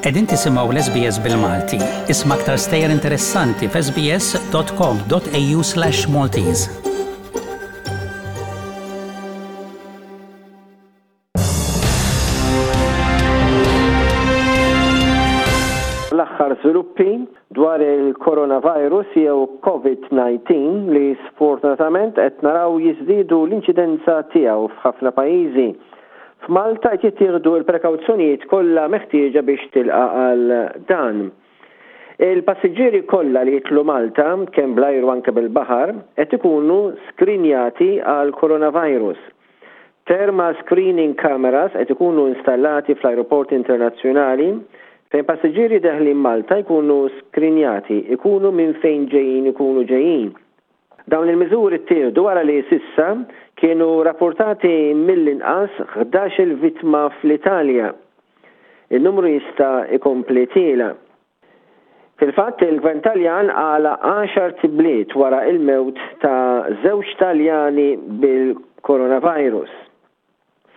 Qegħdin tisimgħu l-SBS bil-Malti. Isma' aktar stejjer interessanti f'sbs.com.au/maltese. L-aħħar żviluppi dwar il-coronavirus jew Covid-19 li sfortunatament qed naraw jiżdiedu l-inċidenza tiegħu f'ħafna pajjiżi. F'Malta qed jittieħdu l-prekawzjonijiet kollha meħtieġa biex tilqa' għal dan. Il-passiġġieri kollha li jidħlu Malta, kemm bl-ajru anke bil-baħar, qed ikunu skrinjati għall-coronavirus. Thermal screening cameras qed ikunu installati fl-ajruporti internazzjonali fejn passiġġieri deħlin Malta jkunu skrinjati, ikunu minn fejn ġejjin ikunu ġejjin. Dawn il-miżuri ttieħdu wara li s'issa kienu rappurtati mill-inqas 11-il vittma fl-Italja. In-numru jista' jkompli tiela'. Fil-fatt, il-Gvern Taljan għalaq għaxart ibliet wara l-mewt ta' żewġ Taljani bil-coronavirus.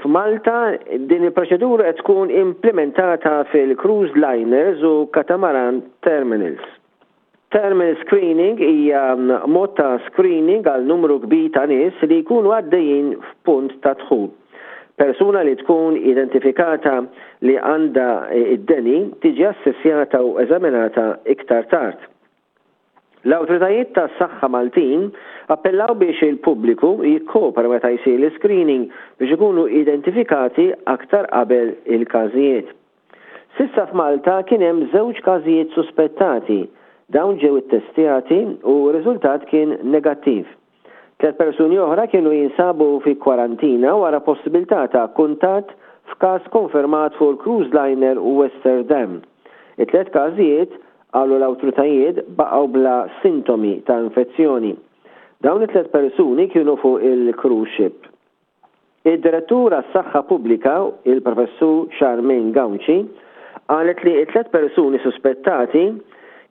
F'Malta, din il-proċedura qed tkun implimentata fil-cruise liners u catamaran terminals. Thermal screening hija mod ta' screening għal numru kbir ta' nies li jkunu għaddejjin f'punt ta' dħul. Persuna li tkun identifikata li għandha d-deni tiġi assessjata u eżaminata iktar tard. L-awtoritajiet tas-saħħa Maltin appellaw biex il-pubbliku jikkopera meta jsir l-iscreening biex ikunu identifikati aktar qabel il-każijiet. S'issa f'Malta kien hemm żewġ każijiet suspettati. Dawn ġew ittestjati u r-riżultat kien negattiv. Tliet persuni oħra kienu jinsabu fi kwarantina wara possibilità ta' kuntatt f'każ konfermat fuq il-cruise liner Westerdam. It-tliet każijiet, qalu l-awtritajiet, baqgħu bla sintomi ta' infezzjoni. Dawn it-tliet persuni kienu fuq il-cruise ship. Id-Direttur għas-Saħħa Pubblika, il-Professur Charmaine Gauci, qalet li t-tliet persuni suspettati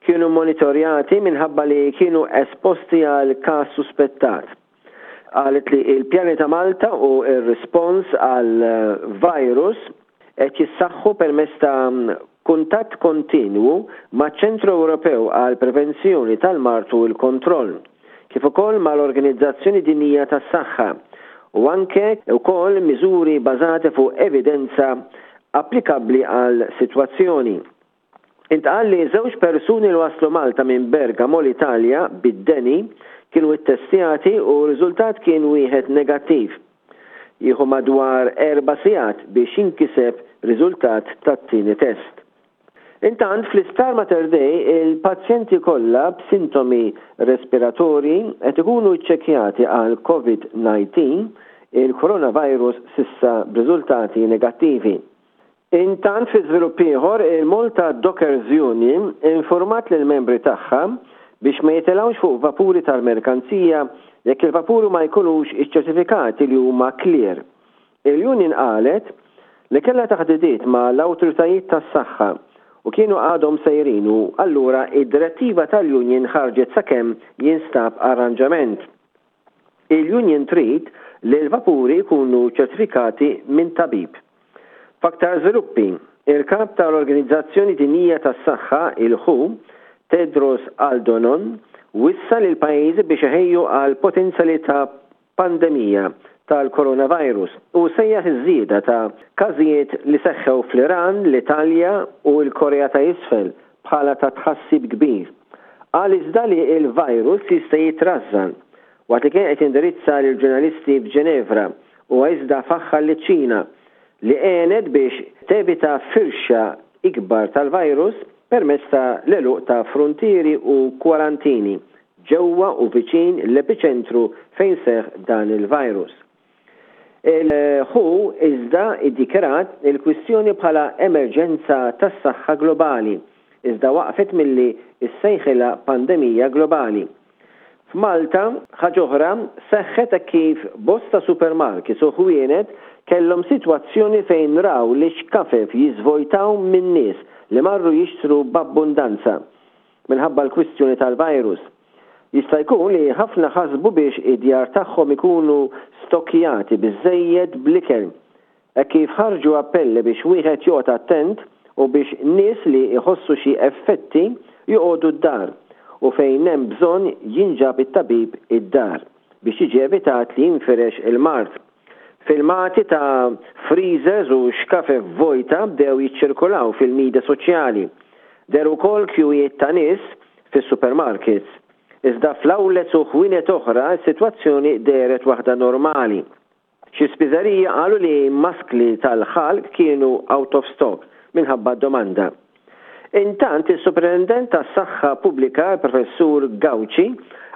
kienu mmonitorjati minħabba li kienu esposti għal każ suspettat. Qalet li l-pjani ta' Malta u r-rispons għall-virus qed jissaħħu permezz ta' kuntatt kontinwu maċ-Ċentru Ewropew għall-Prevenzjoni tal-Mard u l-Kontroll, kif ukoll mal-Organizzazzjoni Dinjija tas-Saħħa, u anke wkoll miżuri bażati fuq evidenza applikabbli għal sitwazzjoni. Intqal li żewġ persuni li waslu Malta minn Bergamo, l-Italja, bid-deni, kienu ittestjati u r-riżultat kien wieħed negattiv. Jieħu madwar erba' sigħat biex jinkiseb riżultat tat-tieni test. Intant, fl-Isptar Mater Dei, il-pazjenti kollha b'sintomi respiratorji qed ikunu ċċekkjati għal Covid 19, il-coronavirus s'issa b'riżultati negattivi. Intant fi żvilupp ieħor, il-Malta Dockers Union infurmat lill-membri tagħha biex ma jitilgħux fuq vapuri tal-merkanzija jekk il-vapuri ma jkunux iċċertifikati li huma clear. Il-union qalet li kellha taħdidiet ma' l-awtoritajiet tas-saħħa u kienu għadhom sejrin u allura id-direttiva tal-union ħarġet sakemm jinstab arranġament. Il-union trid li l-vapuri jkunu ċertifikati minn tabib. F'aktar żviluppi, il-Kap tal-Organizzazzjoni Dinjija tas-Saħħa, il-WHO, Tedros Aldonon, wissa lill-pajjiżi biex iħejju għal potenzjalità pandemija tal-coronavirus u sejjaħ iż-żieda ta' każijiet li seħħew fl-Iran, l-Italja u l-Korea ta' Isfel bħala ta' tħassib kbir. Qal iżda li l-virus jista' jitrażżan. Waqt li kien qed jindirizza lill-ġurnalisti f'Ġenevra, huwa iżda faħħar liċ-Ċina li għenet biex tevita firxa ikbar tal-virus permezz ta' l-għeluq ta' fruntieri u kwarantini ġewwa u viċin l-epiċentru fejn seħħ dan il-virus. Il-WHO iżda iddikjarat il-kwistjoni bħala emerġenza tas-saħħa globali, iżda waqfet milli ssejħilha pandemija globali. F'Malta, ħaġa oħra seħħet hekk kif bosta supermarkets u ħwienet kellhom sitwazzjoni fejn raw l-ixkafef jiżvojtaw minn nies li marru jixtru b'abbundanza minħabba l-kwistjoni tal-virus. Jista' jkun li ħafna ħasbu biex id-djar tagħhom ikunu stokkjati biżżejjed bl-ikel. Hekk kif ħarġu appelli biex wieħed joqgħod attent u biex nies li jħossu xi effetti joqogħdu d-dar u fejn hemm bżonn jinġab it-tabib id-dar biex jiġi evitat li jinfirex il-mard. Filmati ta' freezers u xkafef vojta bdew jiċċirkulaw fil-midja soċjali. Dehru wkoll kjuwijiet ta' nies fis-supermarkets. Iżda fl-outlets u ħwienet oħra s-sitwazzjoni dehret waħda normali. Xi spiżeriji qalu li maskli tal-ħalq kienu out of stock minħabba d-domanda. Intant, is-Supretendent tas-Saħħa Pubblika, il-Professur Gauci,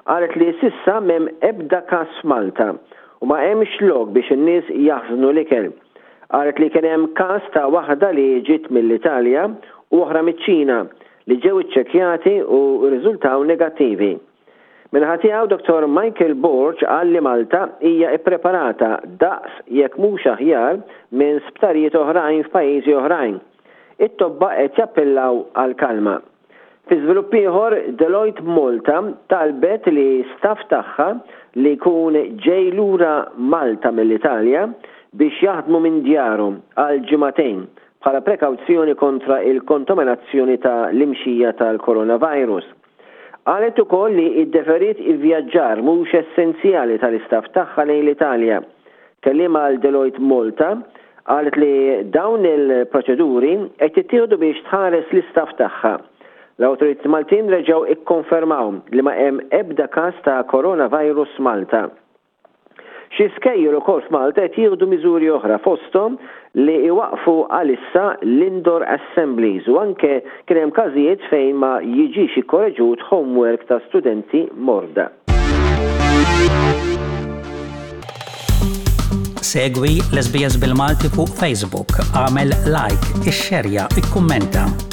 qalet li s'issa m'hemm ebda każ f'Malta u ma hemmx lok biex in-nies jaħżnu l-ikel. Qalet li kien hemm każ ta' waħda li ġiet mill-Italja u oħra miċ-Ċina li ġew iċċekkjati u rriżultaw negattivi. Min-naħa tiegħu Dottor Michael Borg qal li Malta hija ppreparata daqs jekk mhux aħjar minn sptarijiet oħrajn f'pajjiżi oħrajn. It-tobba qed jappellaw għall-kalma. Fi żvilupp ieħor, Deloitte Malta talbet li staff tagħha li jkun ġej lura Malta mill-Italja biex jaħdmu minn djarhom għal ġimagħtejn bħala prekawzjoni kontra il-kontaminazzjoni ta' l-imxija tal-coronavirus. Qalet ukoll li iddeferiet ivvjaġġar mhux essenzjali tal-istaff tagħha lejn l-Italja. Kelliem għal Deloitte Malta qalet li dawn il-proċeduri qed jittieħdu biex tħares l-istaff tagħha. L-awtoritajiet Maltin reġgħu ikkonfermaw li ma hemm ebda każ ta' coronavirus Malta. Xi skejjel ukoll f'Malta qed jieħdu miżuri oħra fosthom li jwaqqfu għalissa l-indoor assemblies u anke kien hemm każijiet fejn ma jiġix ikkoreġut homework ta' studenti morda. Segwi l-SBS bil-Malti fuq Facebook, agħmel like, ixxerja, ikkummenta.